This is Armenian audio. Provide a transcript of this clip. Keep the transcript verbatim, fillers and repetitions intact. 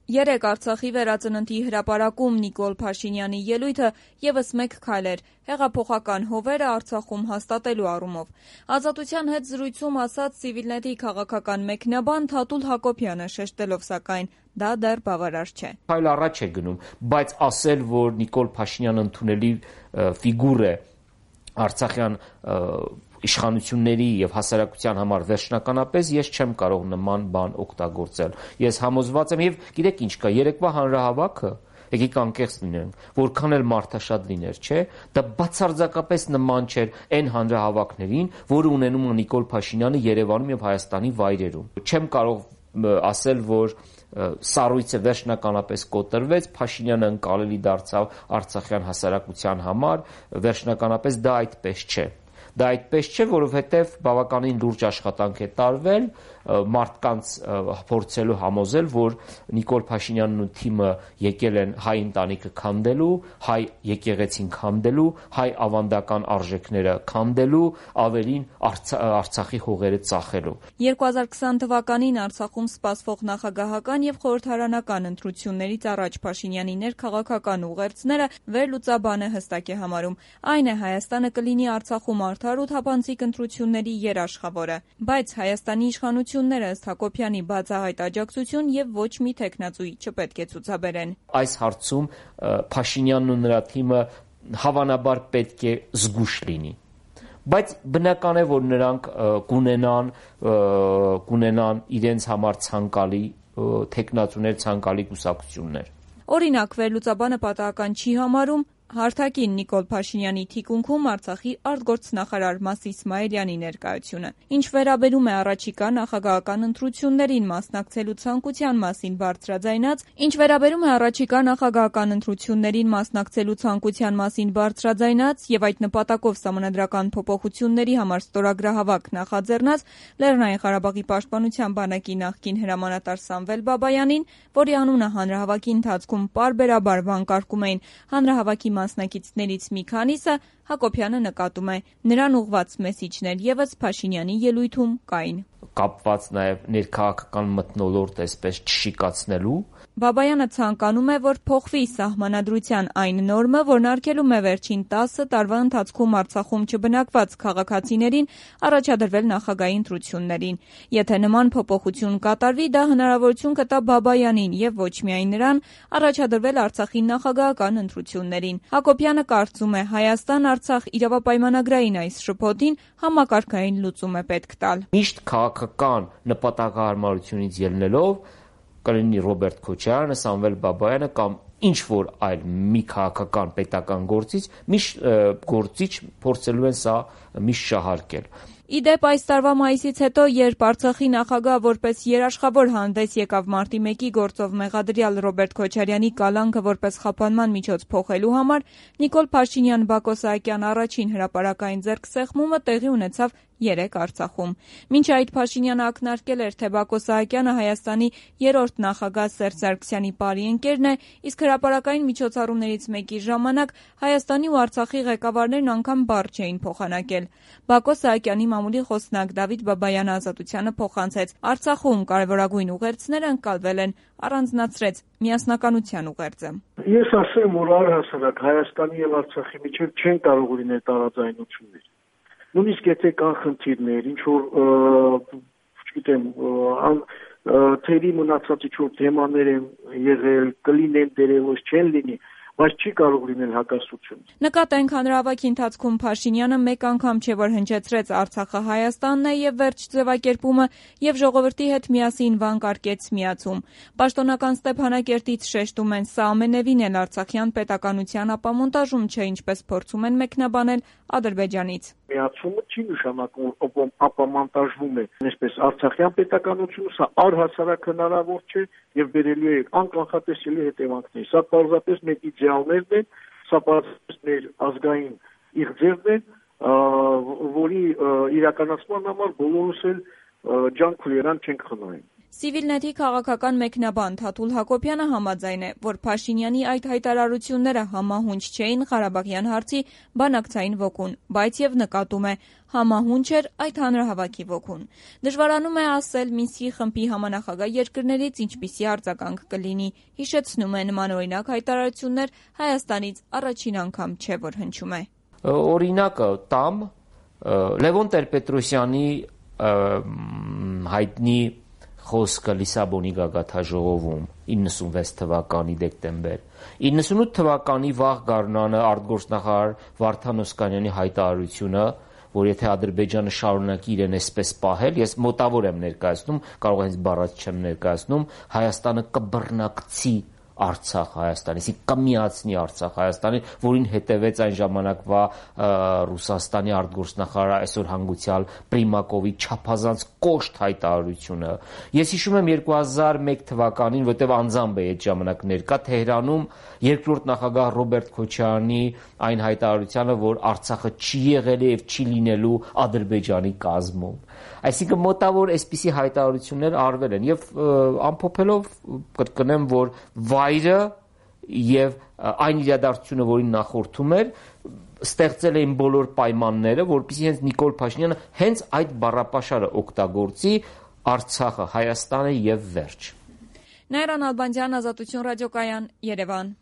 Երեկ Արցախի վերածննդի հրապարակում Նիկոլ Փաշինյանի ելույթը ևս մեկ քայլ էր հեղափոխական հովերը Արցախում հաստատելու առումով։ Ազատության հետ զրույցում ասաց Civilnet-ի քաղաքական մեկնաբան Թաթուլ Հակոբյանը, շեշտելով սակայն դա դեռ բավարար չէ։ Քայլ առաջ է գնում, բայց ասել, որ Նիկոլ Փաշինյանը ընդունելի ֆիգուր է արցախյան իշխանությունների եւ հասարակության համար վերջնականապես ես չեմ կարող նման բան օգտագործել։ Ես համոզված եմ եւ գիտեք ինչ կա, երեկվա հանրահավաքը, եկեք անկեղծ լինենք, որքան էլ մարդաշատ լիներ, չէ, դա բացարձակապես նման չէր այն հանրահավաքներին, որը ունենում է Նիկոլ Փաշինյանը Երևանում եւ Հայաստանի վայրերում։ Չեմ կարող ասել, որ սառույցը վերջնականապես կոտրվեց, Փաշինյանը ընկալելի դարձավ արցախյան հասարակության համար, վերջնականապես դա այդպես չէ։ Դա այդպես չէ, որովհետև բավականին լուրջ աշխատանք է տարվել մարդկանց փորձելու համոզել, որ Նիկոլ Փաշինյանն ու թիմը եկել են հայ ընտանիքը քանդելու, հայ եկեղեցին քանդելու, հայ ավանդական արժեքները քանդելու, ավելին Արցախի հողերը ծախելու։ երկու հազար քսան թվականին Արցախում սպասվող նախագահական եւ խորհրդարանական ընտրություններից առաջ Փաշինյանի ներքաղաքական ուղերձները վերլուծաբանը հստակ է համարում։ Այն է Հայաստանը կլինի Արցախում արդար ու թափանցիկ ընտրությունների երաշխավորը, բայց Հայաստանի իշխանությունները ըստ Հակոբյանի բացահայտ աջակցություն եւ ոչ մի թեկնածուի չպետք է ցուցաբերեն։ Այս հարցում Փաշինյանն ու նրա թիմը հավանաբար պետք է զգույշ լինի, բայց բնական է, որ նրանք կունենան կունենան իրենց համար ցանկալի թեկնածուներ, ցանկալի կուսակցություններ։ Օրինակ, վերլուծաբանը պատահական չի համարում հարթակին Նիկոլ Փաշինյանի թիկունքում Արցախի արտգործնախարար Մաս Իսմայելյանի ներկայությունը։ Ինչ վերաբերում է առաջիկա նախագահական ընտրություններին մասնակցելու ցանկության մասին բարձրաձայնած, ինչ վերաբերում է առաջիկա նախագահական ընտրություններին մասնակցելու ցանկության մասին բարձրաձայնած եւ այդ նպատակով սահմանադրական փոփոխությունների համար ստորագրահավաք նախաձեռնած Լեռնային Ղարաբաղի պաշտպանության բանակի նախկին հրամանատար Սամվել Բաբայանին, որի անունը հանրահավաքի ընթացքում պարբերաբար վանկարկում էին հանրահավաքի մասնակիցներից մի քանիսը, Հակոբյանը նկատում է, նրան ուղղված մեսիջներ ևս Փաշինյանի ելույթում կային։ Կապված նաև ներքաղաքական մթնոլորտ այսպես չշիկացնելու։ Բաբայանը ցանկանում է, որ փոխվի սահմանադրության այն նորմը, որն արգելում է վերջին տասը տարվա ընթացքում Արցախում չբնակված քաղաքացիներին առաջադրվել նախագահի ընտրություններին։ Եթե նման փոփոխություն կատարվի, դա հնարավորություն կտա Բաբայանին եւ ոչ միայն նրան առաջադրվել Արցախի նախագահական ընտրություններին։ Հակոբյանը կարծում է, Հայաստան-Արցախ իրավապայմանագրային այս շփոթին համակարգային լուծում է պետք տալ։ Միշտ քաղաքական նպատակահարմարությունից ելնելով կլինի Ռոբերտ Քոչարյանը, Սամվել Բաբայանը կամ ինչ որ այլ մի քաղաքական պետական գործիչ, միշտ գործիչ փորձելու են սա միշտ շահարկել։ Ի դեպ, այս տարվա մայիսից հետո, երբ Արցախի նախագահ որպես երաշխավոր հանդես եկավ մարտի մեկի գործով մեղադրյալ Ռոբերտ Քոչարյանի կալանքը որպես խափանման միջոց փոխելու համար, Նիկոլ Փաշինյան-Բակո Սահակյան առաջին հրապարակային ձեռքսեղմումը տեղի ունեցավ երեկ Արցախում։ Մինչ այդ Փաշինյանը ակնարկել էր, թե Բակո Սահակյանը Հայաստանի երրորդ նախագահ Սերժ Սարգսյանի բարի ընկերն է, իսկ հրապարակային միջոցառումներից մեկի ժամանակ Հայաստանի ու Արցախի ղեկավարներն անգամ բառ չէին փոխանակել։ Բակո Սահակյանի մամուլի խոսնակ Դավիթ Բաբայանը Ազատությանը փոխանցեց. Արցախում կարևորագույն ուղերձները ընկալվել են, առանձնացրեց միասնականության ուղերձը։ Ես ասեմ, որ առհասարակ Հայաստանի եւ Արցախի միջեւ չեն կարող լինել տարաձայնություններ։ Նույնիսկ եթե կան խնդիրներ, ինչ որ, չգիտեմ, թերի մնացած ինչ որ թեմաներ են եղել, կլինեն դերևս չեն լինի, բայց չի կարող լինել հակասություն։ Նկատենք հանրահավաքի ընթացքում Փաշինյանը մեկ անգամ չէ որ հնչեցրեց Արցախը Հայաստանն է եւ վերջ ձևակերպումը եւ ժողովրդի հետ միասին վանկարկեց միացում։ Պաշտոնական Ստեփանակերտից շեշտում են, սա ամենևին էլ արցախյան պետականության ապամոնտաժում չէ, ինչպես փորձում են մեկնաբանել Ադրբեջանից։ Միացումը չի նշանակում, որ ապամոնտաժվում է, այսպես արցախյան պետականությունը, սա առհասարակ հնարավոր չէ եւ բերելու է անկանխատեսելի հետևանքներ։ Սա պարզապես մեր իդեալներն են, սա պարզապես մեր ազգային իղձերն են, որի իրականացման համար բոլորս էլ ջանք ու երան չենք խնայում։ Civilnet-ի քաղաքական մեկնաբան Թաթուլ Հակոբյանը համաձայն է, որ Փաշինյանի այդ հայտարարությունները համահունչ չէին Ղարաբաղյան հարցի բանակցային ոգուն, բայց եւ նկատում է համահունչ էր այդ հանրահավաքի ոգուն։ Դժվարանում է ասել Մինսկի խմբի համանախագահ երկրներից ինչպիսի արձագանք կլինի, հիշեցնում է նմանօրինակ հայտարարություններ Հայաստանից առաջին անգամ չէ, որ հնչում է։ Օրինակը տամ Լևոն Տեր-Պետրոսյանի հայտնի խոսքը Լիսաբոնի գագաթաժողովում իննսունվեց թվականի դեկտեմբեր, իննսունութ թվականի վաղ գարնանը արտգործնախարար Վարդան Օսկանյանի հայտարարությունը, որ եթե Ադրբեջանը շարունակի իրեն այսպես պահել, ես մոտավոր եմ ներկայացնում, կարող է հենց բառած չեմ ներկայացնում, Հայաստանը կբռնակցի Արցախ Հայաստանից, կմիացնի Արցախ Հայաստանին, որին հետևեց այն ժամանակվա Ռուսաստանի արտգործնախարար այսօր հանգուցյալ Պրիմակովի չափազանց կոշտ հայտարարությունը։ Ես հիշում եմ երկու հազար մեկ թվականին, որտեղ անձամբ էի այդ ժամանակ ներկա Թեհրանում, երկրորդ նախագահ Ռոբերտ Քոչարյանի այն հայտարարությանը, որ Արցախը չի եղել եւ չի լինելու Ադրբեջանի կազմում։ Այսինքն մոտավոր այսպիսի հայտարարություններ արվել են եւ ամփոփելով կրկնեմ, որ վայրը եւ այն իրադարձությունը, որին նախորդում էր, ստեղծել էին բոլոր պայմանները, որպեսզի հենց Նիկոլ Փաշինյանը հենց այդ բառապաշարը օգտագործի Արցախը, Հայաստանը եւ վերջ։ Նաիրա Նալբանդյան, Ազատություն ռադիոկայան, Երևան։